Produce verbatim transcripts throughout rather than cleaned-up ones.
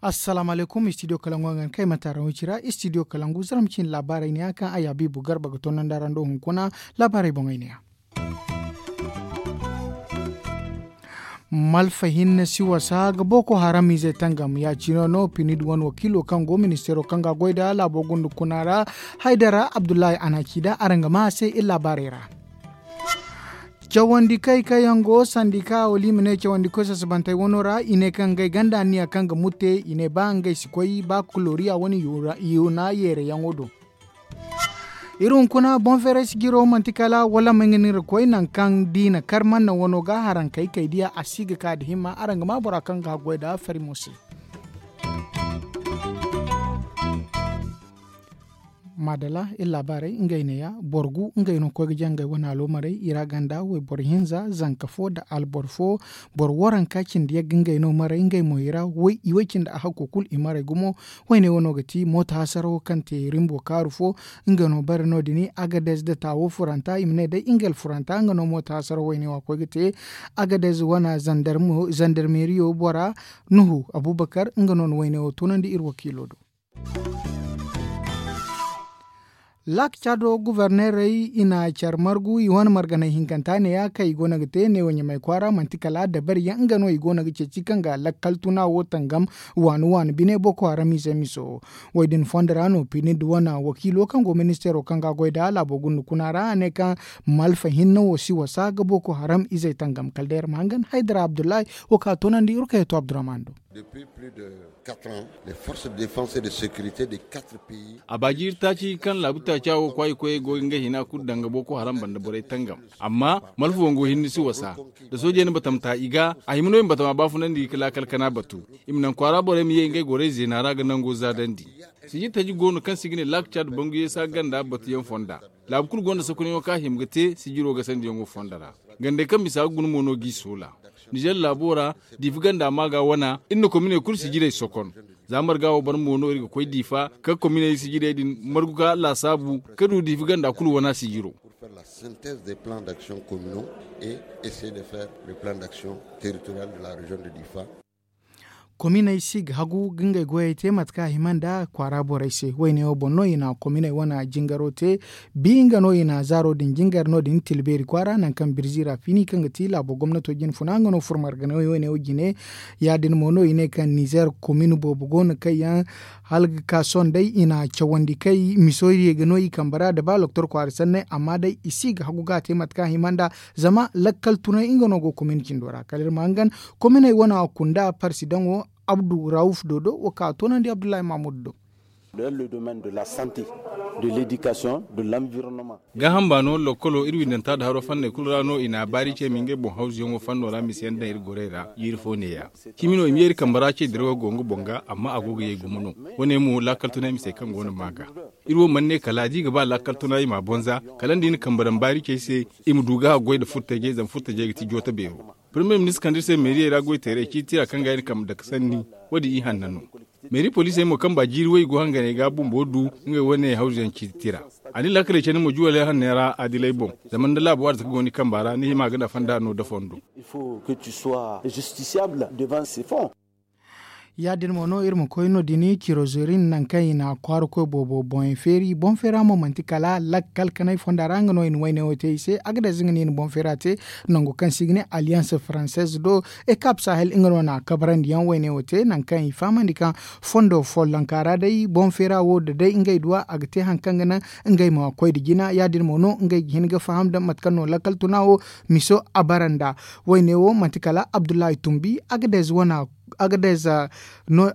Assalaamu alaykum, istidiyo kalangu a ga ni kay mataara wicira istidiyo kalangu zara ma cindi laabaarey ne ya kaŋ a yaabiibu garba ga toonandi araŋ do hunkuna. Laabaarey boŋey ne ya. Malfa hinne si wasa ga booko haram izey tangam ya- cine no pinid wane wakiilo kaŋ go ministeero kaŋ ga a goy nda laabo gunda kuna ra. Haydara abdullahi a na a ci nda araŋ ga maa a se iri laabaarey ra. Cawandi kay kaŋ yaŋ go sandika wala i ma ne cawandi koy sasabantey wano ra i ne kaŋ ngey ganda anniya kaŋ ga mutte i ne ba ngey si koy ba kuloriya wane yuna yeere yaŋo do. Iri hunkuna boŋ feeray sijiro manti kala wala may ga ni ga koy nangu kaŋ da i na kar manna wano ga harankey kay diya a si ga ka nda himma araŋ ga maa bora kaŋ ga a goy nda fari mo se. Maadala iri laabaarey ngey ne- ya boro gu ngey no ga koy ga jaŋ ngey wane aloomarey i ra ganda wayboro hinza zanka fo nda alboro fo. Boro waranka cindi yagga ngey no maray ngey mo i ra. I way cindi a hakko kulu i maray gumo. Wayne wano ga ti mooto hasarawo kaŋ te rimbo kaaru fo. Nga no bare no- din agadez nda taawo furanta i ma ne day nga alfuranta nga no mooto hasarawo wayne wo a koy ga te. Agadez wana zandarmeeriyo bora nuhu abubakar nga no na wayne wo tunandi iri wakiilo do. Laak caado guverneerey i na care margu i wane marganey hinkanta ne- ya kaŋ i go no ga te neewo ɲamay kwaara manti kala dabari yaŋ nga no i go no ga ceeci kaŋ ga lakkal tuna wo tangam. Waani waani bine boko haram ize miso wo- din fondo ra no pinid wane wakiilo kaŋ go ministeero kaŋ ga a goy nda laabo gunda kuna ra a ne kaŋ malfa hinne wo si wasa ga boko haram izey tangam kala day iri ma hangan haydara abdullahi. Wo ka toonandi iri kay to abdurrahman do. A baaji iri taaci kaŋ laabu taaca wo kwaayikoyey go ga ngey hina kulu daŋ ga boko haram banda borey tangam. Amma malfa wango hinne si wasa da soojey na batamta i ga a hima no i ma batama baafunandi ga laakal kana batu. I ma naŋ kwaara borey ma ye ngey gorey zeena ra ga nango zaadandi. Sijir taji go no kaŋ se i ga ne laak caad banguyey se a ganda batuyaŋ fonda. Laabu kulu gonda sakunayaŋo kaŋ a hima ga te sijiro gasandiyaŋo fondo ra. Gandey kaŋ bisa ga guna mo no g'i soola. Nizer laabo ra diifa ganda maaga wana iri na kominey kulu sijirey sokon. Za marga wo bare mo no iri ga koy diifa ka kominey sijirey din margu ka laasaabu ka du diifa ganda kulu wana sijiro. Kominey si ga hagu ga ngey goyey te mate kaŋ a hima nda kwaara borey se wayne wo boŋ no i na kominey wane jingaro te. Bi nga no i na zaaro din jingar no- din tilbeeri kwaara nangu kaŋ birzi ra fini kaŋ ga ti laabo gomnato jine funa nga no furo marganey wayne wo jine. Ya- din mo no i ne kaŋ nizer komin boobo go no kaŋ yaŋ hala ga ka sohõ day i na cawandi kay miso ye ga no i kambe ra nda ba loktor kwaara sanney amma day i si ga hagu ga a te mate kaŋ a hima nda. Zama lakkal tunay nga no go komin cindo ra kala iri ma hangan kominey wane a kunda parsidaŋo abdu rawuf dodo wo ka a toonandi abdullahi mahmud do. Gaaham baano lokkolo iri windanta nda haro fanney kulu ra no i na a baari ce ma ngey boŋ hawzuyaŋo fanno ra mise yaŋ daŋ iri gorey ra jiiri fo neeya. Cimi no i ma ye iri kambe ra ce dirawo go nga boŋ ga amma a go ga ye gumo no. Wane mo laakal tunay mise kaŋ go no maa ga. Iri wo mana ne kala da i ga ba laakal tunay i m'a bonza kala nda i na kambe daŋ baari ce ay se. I ma du ga a goy nda furtajey zama furtajey ga ti jooto beero. Premier ministre kaŋ da iri se meeriyey ra goy teeray ciiti tira kaŋ ga ay na kambe dake sanni. Wo- din i hanna no. Meeri poliisey mo kaŋ ba jiiri wo i go hanganey ga bumbo du ngey wane hawzuyaŋ ciiti tira. A na i laakaley candi mo juwaley hanney ra adiley boŋ. Zama nda laabo arzaka go ni kamba ra ni hima ga nafa nda no da fondo. Ya- din mo no iri ma koy no- din cirozorin nangu kaŋ i na kwaara koy boobo boŋey feeri boŋ feera mo manti kala lakkal kanay fonda ra nga no i na wayne wo te i se a ga day za nga no i na boŋ feera te. Nangu kaŋ se i ga ne alliance française do ekap sahel nga no na a kabarandi yaŋ wayne wo te nangu kaŋ i fahamandi kaŋ fondo follonka ra day boŋ feera wo da day ngey duwa a ga te hari kaŋ ga naŋ ngey ma koy nda jina ya- din mo no ngey ga hin ga faham nda mate kaŋ no lakkal tuna wo. Miso a bara nda wayne wo manti kala abdullahi tumbi agadez wana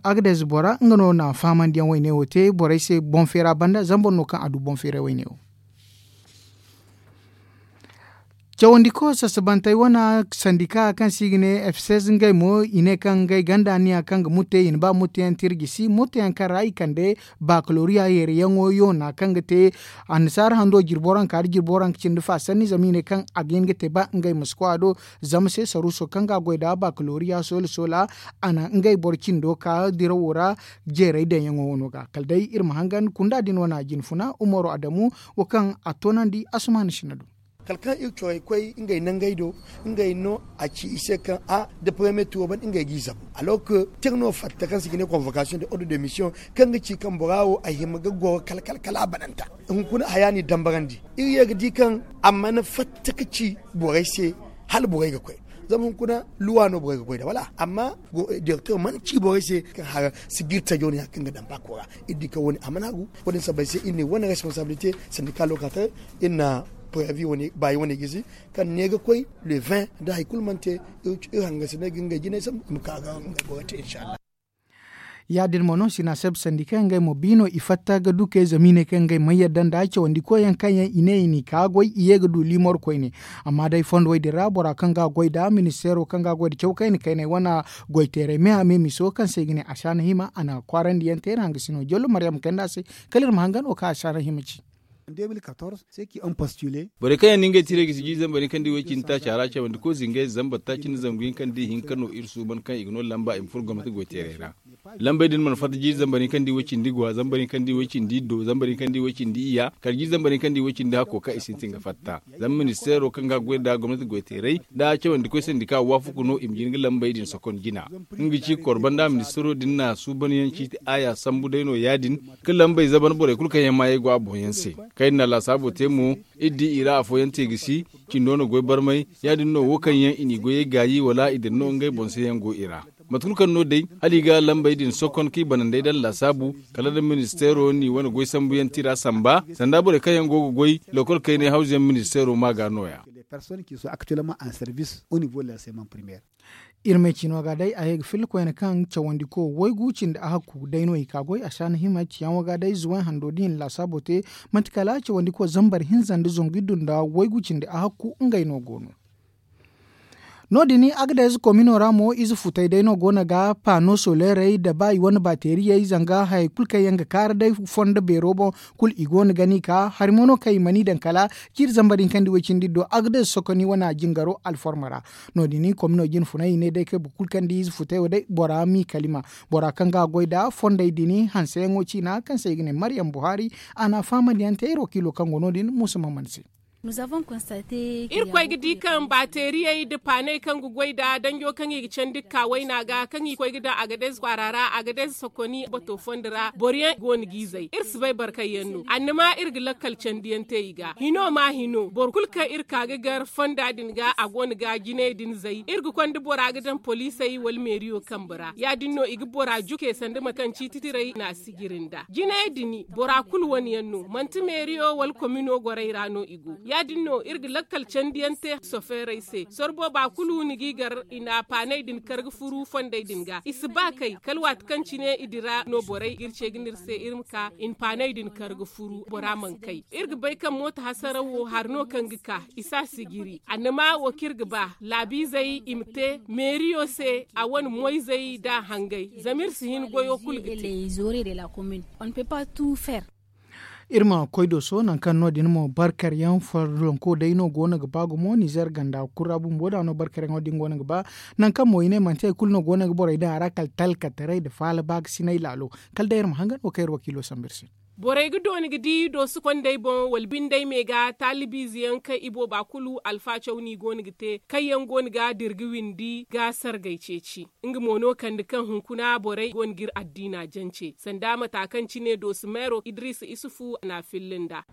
agadez bora nga no na fahamandi yaŋ wayne wo te borey se boŋ feera banda zama boro no kaŋ a du boŋ feera wayne wo. Cawandiko sassabantey wane sandika kaŋ se i ga ne efses ngey mo i ne kaŋ ngey ganda niya kaŋ ga mutte i na ba mutteyaŋ tirjisi mutteyaŋ kaŋ ra i kande bakaloriya yeeriyaŋo yoona kaŋ ga te annasaara hando jirbo ra nka da jirbo ra nka cindi fa sanni zama i ne kaŋ a ga hin ga te ba ngey ma si koy a do. Zama se saruuso kaŋ ga a goy nd'a bakaloriya soola soola a na ngey boro cindo ka dirawo ra. Jeeray daŋyaŋo wano ga kala day iri ma hangan kunda din wane a jinfuna umaro adamu wo kaŋ a toonandi asumaana sinna do. Kala kaŋ iri corey koy ngey nangey do ngey no a ci i se kaŋ a da paremiye tuuro banda ngey g'i zabu. Alors que tira no fatta kaŋ se i ga ne konvokasiyoŋ de ordre de mission kaŋ ga ci kaŋ bora wo a hima ga goro kala kala kala a bananta. Hunkuna haya n'i dambarandi iri ye ga di kaŋ a mana fatta ga ci borey se hala borey ga koy. Zama hunkuna luwa no borey ga goy nd'a wala amma direkter mana ci borey se kaŋ hara si ga iri tajo no ya kaŋ ga daŋ baako ra. Iri di kaŋ wo- ne a mana hagu. Wo- din sabbay se iri ne wane responsabilite sandika lokataray iri na previ wane baayi wane gisi kaŋ ne ga koy le vingt da hari kulu mana te. Iri hangan si ne ga ngey jinay sambu i ma ka ga ngey goyo te inshallah. Ya- din mo no sinaseb sandika ngey mo bi no i fatta ga du kay zama i ne kaŋ ngey mana yadda nda cawandi koyyaŋ kaŋ yaŋ i ne i n'i ka goy i ye ga du liimor koyne. Amma day fondo wey din ra bora kaŋ ga a goy nd'a ministeero kaŋ ga a goy nda caw kayna kaynay wane goy teeray me a me miso kaŋ se i ga ne a si a na hima a na kwaarandi yaŋ te iri hangasino jallo maryam kayna a se. Kala iri ma hangan wo kaŋ a si a na hima ci. Borey kaŋ yaŋ no ngey tiray ga si jiiri zambar hinka nda i way cindi taaci a ra cawandi koy zingay zambar taaci nda zangu hinka nda i hinka no iri suuban kaŋ i ga no lamba i ma furo gomnati goy teeray ra. Lambey din mana fatta jiiri zambar hinka nda i way cindi gwa zambar hinka nda i way cindi iddo zambar hinka nda i way cindi iyya kala jiiri zambar hinka nda i way cindi hakko kaŋ i sintin ga fatta. Zama ministeero kaŋ ga a goy nda gomnati goy teeray nda cawandi koy sandika waafaku no i ma jin ga lambey din sokon jina. Nga ga ci korba nda ministeero din na suuban yaŋ ciiti aaya sambu day no ya- din. Ga lambey zaban borey kulu kaŋ yaŋ maayey go a boŋ yaŋ se. Kaŋ iri na laasaabo te mo iri di i ra afooyaŋ te ga si cindo na goy barmay. Ya- din no wo kaŋ yaŋ i n'i goyey gaayi wala i dira no ngey boŋ se yaŋ go i ra. Mate kulu kaŋ no day hala i ga lambey din sokon kaŋ i banandey daŋ laasaabu kala nda ministeero n'i wane goy sambu yaŋ tira samba sanda borey kaŋ yaŋ go ga goy lokol kaynay hawzu yaŋ ministeero ma ga nooya. Iri me ciino ga day a ye ga filla koyne kaŋ cawandi ko waygu cindi a hakku day no i ka goy a si a na hima ciyaŋo ga day zuway hando da i na laasaabo te. Manti kala cawandi ko zambar hinza nda zangu iddu nda waygu cindi a hakku ngey no go no. No- din agades komino ra mo ize futay day no go no ga pano solerey nda ba i wane bateriyey zanga hayey kulu kaŋ yaŋ ga kaara day fondo beero boŋ. Kulu i go no ga ni ka hari mo no kaŋ i mana i daŋ kala ciiri zambar hinka nda i way cindi iddo agades sokoni wane a jingaro alforma ra. No- din komino jine funay i ne day kaŋ boro kulu kaŋ da ize futay wo day bora m'i kalima. Bora kaŋ ga a goy nda fondey din hanseyaŋo ciina kaŋ se i ga ne maryam buhari. A na a fahamandi yaŋ te iri wakiilo kaŋ go no- din muusa maman se. Iri koy ga di kaŋ baateriyey nda paaney kaŋ ga goy nda danjo kaŋ i ga candi ga ka wayna ga kaŋ i koy ga daŋ agades kwaara ra agades sokoni bato fondo ra boro yaŋ go no g'i zay iri si bay boro kaŋ yaŋ no annama iri ga lakkal candiyaŋ te i ga hino ma hino boro kulu kaŋ iri ka ga gar fonda din ga a go no ga jinay din zay iri ga konda bora ga daŋ poliisey wala meeriyo kambe ra ya- din no i ga bora juke sanda mate kaŋ ciiti tirey na a sijiri nda jinay din bora kulu wane yaŋ no manti meeriyo wala komino gorey ra no i go ya- din no iri ga lakkal candiyaŋ te sofeerey se sorbo ba kulu ni g'i gar i na paaney din kar ga furu fondey din ga i si ba kay kala waati kaŋ cine i dira no borey ga iri ce ga ne iri se iri ma ka i na paaney din kar ga furu bora mana kay iri ga bay kaŋ mooto hasaraw wo hari no kaŋ ga ka i si a sijiri annama wo kaŋ iri ga ba laabiizey i ma te meeriyo se a wane moyzey nda a hangay zama iri si hin goyo kulu ga te. Iri ma koy dooso nangu kaŋ no- din mo barkaryaŋ farlanko day no go no ga ba gumo nizer ganda kulu ra bumbo da no barkaryaŋo din go no ga ba. Nangu kaŋ mo i ne manti hari kulu no go no ga borey daŋ a ra kala talkataray nda faala baakasinay laalo. Kala day iri ma hangan wo kaŋ iri wakiilo sambu iri se. Borey ga dooni ga di dooso kondey boŋ wala bindey me ga taalibiize yaŋ kaŋ ibooba kulu alfaacaw no i go no ga te kaŋ yaŋ go no ga dira ga windi ga sargay ceeci. Nga mo no kande kaŋ hunkuna borey go no ga iri addiina jance sanda mata kaŋ cine dooso meero idiriisa isufu na a filla nda.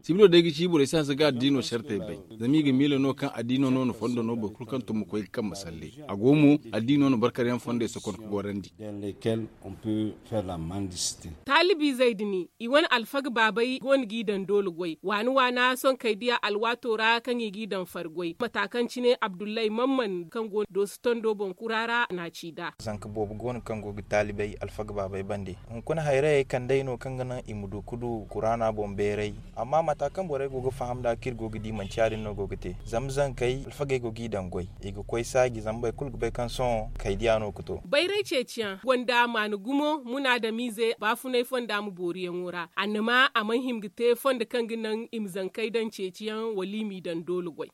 Sibilo day ga ci borey si hanse ga addiino sartey bay. Zama i ga miila no kaŋ addiino no na fondo no boro kulu kaŋ tun ma koy ga kambe salle. A go mo addiino na barkaryaŋ fondey sokon ga gorandi. Taalibiizey din, i wane alfaga baabey go no g'i daŋ doole goy waani waana sohõ kay diya alwaato ra kaŋ i g'i daŋ fari goy mata kaŋ cine abdullay mamman kaŋ go no doosi tondo boŋ kura ra n'a ci nd'a. Zanka boobo go no kaŋ go ga taalibey alfaga baabey bande. Hunkuna hayrayey kand'ey no kaŋ ga naŋ i ma du ga du kuraana boŋ beeray. Amma mata kaŋ borey go ga faham nd'a kaŋ iri go ga di manti ya- din no go ga te zama zankey alfagey go g'i daŋ goy, i ga koy saaji zama boro kulu ga bay kaŋ sohõ kay diya no ga to. Bayray ceeciyaŋ gonda maana gumo munaadamiize baafunay fonda ma booriyaŋo ra annama a mana hima ga te fondo kaŋ ga naŋ i ma zankey daŋ ceeciyaŋ wala i m'i daŋ doole goy.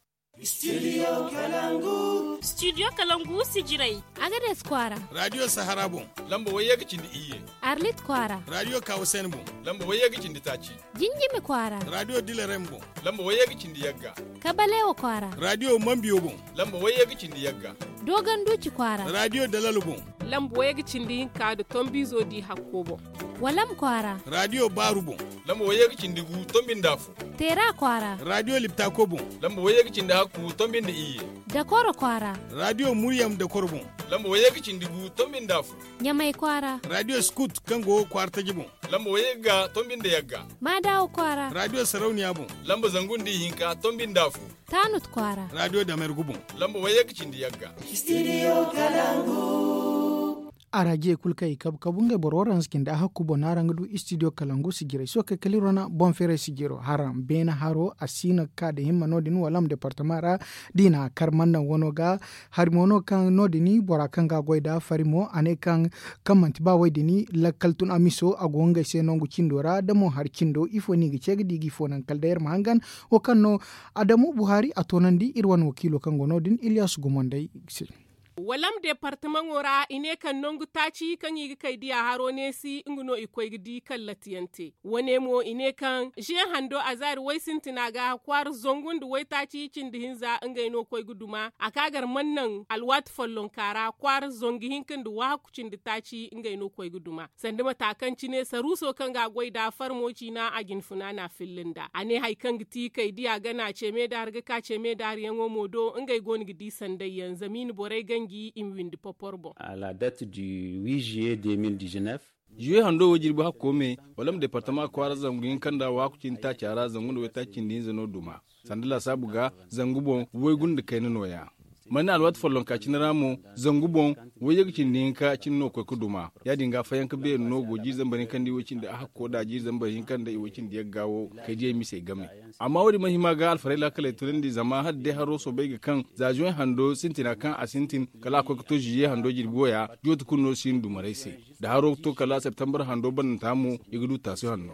Studio kalangu sijirey. Agades kwaara. Radiyo sahara boŋ. Lamba wayye ga cindi iyye. Arlit kwaara. Radiyo kawusen boŋ. Lamba wayye ga cindi taaci. Jinjimi kwaara. Radiyo dilarem boŋ. Lamba wayye ga cindi yagga. Kabalewa kwaara. Radiyo mambiyo boŋ. Lamba wayye ga cindi yagga. Dogon duuci kwaara. Radiyo dalalo boŋ. Lamba wayye ga cindi hinka da tombiizo di hakko boŋ. Walam kwaara. Radiyo baaru boŋ. Lamba wayye ga cindi gu tombi nda afo. Teera kwaara. Radiyo liptako boŋ. Lamba wayye ga cindi hakku tombi nda iyye. Dakoro kwaara. Radiyo muryam dakoro boŋ. Lamba wayye ga cindi gu tombi nda afo. Ɲamay kwaara. Radiyo skut kaŋ go kwaara taji boŋ. Lamba wayye ga tombi nda yagga. Maadawa kwaara. Radiyo sarauniya boŋ. Lamba zangu nda ihinka tombi nda afo. Taanut kwaara. Radiyo damergu boŋ. Lamba wayye ga cindi yagga. Studio kalangu. Araje kulu kaŋ i kabu kabu ngey boro waranza cindi a hakku boŋ no araŋ ga du studio kalangu sijirey sohõ kay kala iri wane boŋ feeray sijiro haraŋ beene haro a si no ga ka nda himma no- din wala ma departama ra. Da i na a kar mana naŋ wano ga hari mo no kaŋ no- din bora kaŋ ga a goy nd'a fari mo a ne kaŋ manti ba wo- din lakkal tun a miso a go ngey se nangu cindo ra da mo hari cindo ifo no i ga ce ga di ga ifo naŋ kala day iri ma hangan. Wo kaŋ no adamu buhari a toonandi iri wane wakiilo kaŋ go no- din ilyasu gumo nd'ey se. Walam departamaŋo ra i ne kaŋ nangu taaci kaŋ i ga kay diya haro neesi nga no i koy ga di kaŋ latiyaŋ te. Wane mo i ne kaŋ ze hando a zaari way sintina ga kwaara zangu nda waytaaci cindi hinza ngey no koy ga duma a ka gar mana naŋ alwaati follonka ra kwaara zangu hinka nda waahaku cindi taaci ngey no koy ga duma. Sanda mata kaŋ cine saruuso kaŋ ga a goy nd'a farmo ciina a jinfuna n'a filli nd'a a ne hari kaŋ ga ti kay diya gana ce meedaari ga ka ce meedaariyaŋo mo do ngey go no ga di sandayyaŋ zama i na borey ganji i ma windi popor boŋ. A la date du huit juillet deux mille dix-neuf. Juwe hando wo jirbi hakko me wala ma departama kwaara zangu hinka nda waaku cindi taaca ra zangu nda waytaaci cindi hinza no duma. Sanda laasaabu ga zangu boŋ waygu nda kayna nooya. Manne alwaati follonka cine ra mo zangu boŋ wayye ga cindi hinka cine no koy ga duma. Ya- din ga fayanka beeri no go jiiri zambar hinka nda i way cindi a hakko da jiiri zambar hinka nda i way cindi yagga wo kay diyey misey game. Amma wo- din mana hima ga alfarey laakaley tunandi zama hala day haro soobay ga kaŋ za zuwe hando sintina kaŋ a sintin kala a koy ga to ziye hando jirbi waya jooti kulu no si hin dumarey se. Da haro ga to kala septembre hando bananta mo i ga du taasi hanno.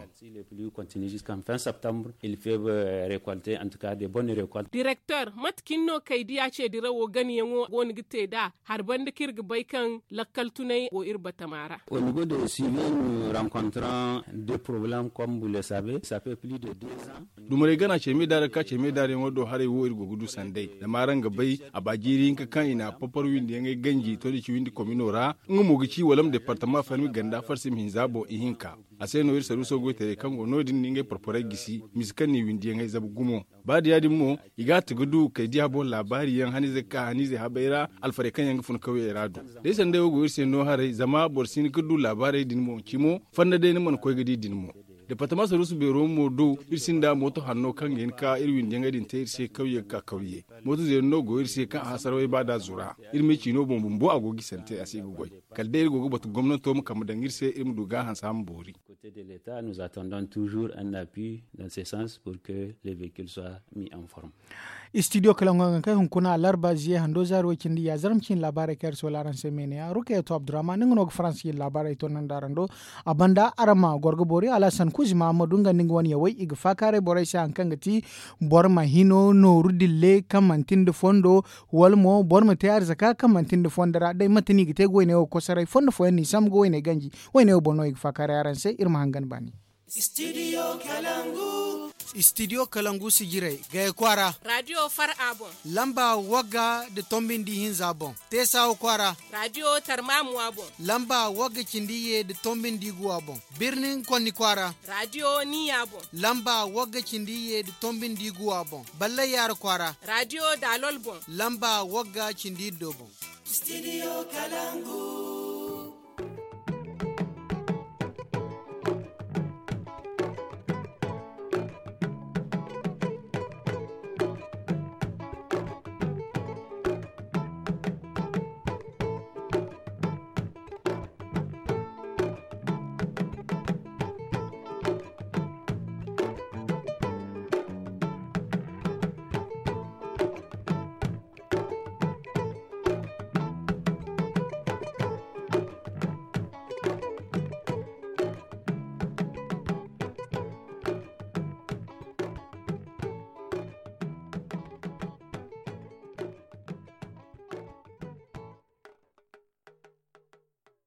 Directeur mate cine no kay diya ce dirawo ganayaŋo go no ga te nd'a hari banda kaŋ iri ga bay kaŋ lakkal tunay go iri batama ra. Au niveau de suivi nous rencontrant des problèmes comme vous le savez ça fait plus de deux ans. Dumarey gana ceme daara ga ka ceme daarayaŋo do haray wo iri go ga du sanday zama araŋ ga bay a ba jiiri hinka kaŋ i na a papar windiyaŋey ganji to da ci windi komino ra. Nga mo ga ci wala ma departama farmi ganda farsim hinza boŋ ihinka. A se no iri saruuso goytaray kaŋ go no- din na ngey porporey gisi misa kaŋ n'i windiyaŋey zabu gumo. Ba da ya- din mo i ga a ti ga du kay diya boŋ laabaari yaŋ haniizey ga ka haniizey habey ra alfarey kaŋ yaŋ ga fun kawyey ra do. Day sanday wo go iri se no haray zama boro si hin ga du laabaarey din boŋ cimo. Fanda day ni mana koy ga di din mo. Departama saruusu beero mo do iri sinda mooto hanno kaŋ ga hin ga ka iri windiyaŋey din te iri se kawye ga ka kawye. Mooto zeeri no go iri se kaŋ a hasara way ba da zura. Iri me ciino boŋ bumbo a go ga i sante a se ga goy. Kala day iri go ga batu gomnanto ma kambe daŋ iri se iri ma du ga a hanse a ma boori. Kote de leta nous attendons toujours un appui dans ce sens pour que les véhicules soient mis en forme. Studio kalaŋo ga kay hunkuna alarba ziye hando zaari way cindi ya zarma cine laabaarey kaŋ iri soola araŋ se meene ya rukayatu abdurrahman nga no ga faransa cine laabaarey to naŋ da araŋ do. A banda araŋ ma goro ga boori alhasan kuzi mahamadu nga nda nga wane yawey i ga faakaaray borey se hari kaŋ ga ti boro ma hino nooru dille kaŋ manti nda fondo. Wala mo boro ma te arzaka kaŋ manti nda fondo ra day mate no i ga te ga wayney wo kosoray fondo fooyaŋ no i sambu ga wayney ganji. Wayney wo boŋ no i ga faakaaray araŋ se iri ma hangan baani. Studio kalangu sijirey gaya kwaara. Radiyo far a boŋ. Lamba wagga da tombindi hinza boŋ. Teesawa kwaara. Radiyo tarmamuwa boŋ. Lamba wagga cindi ye da tombindi guwa boŋ. Birnin konni kwaara. Radiyo niya boŋ. Lamba wagga cindi ye da tombindi guwa boŋ. Ballay yaara kwaara. Radiyo daalol boŋ. Lamba wagga cindi iddo boŋ. Studio kalangu.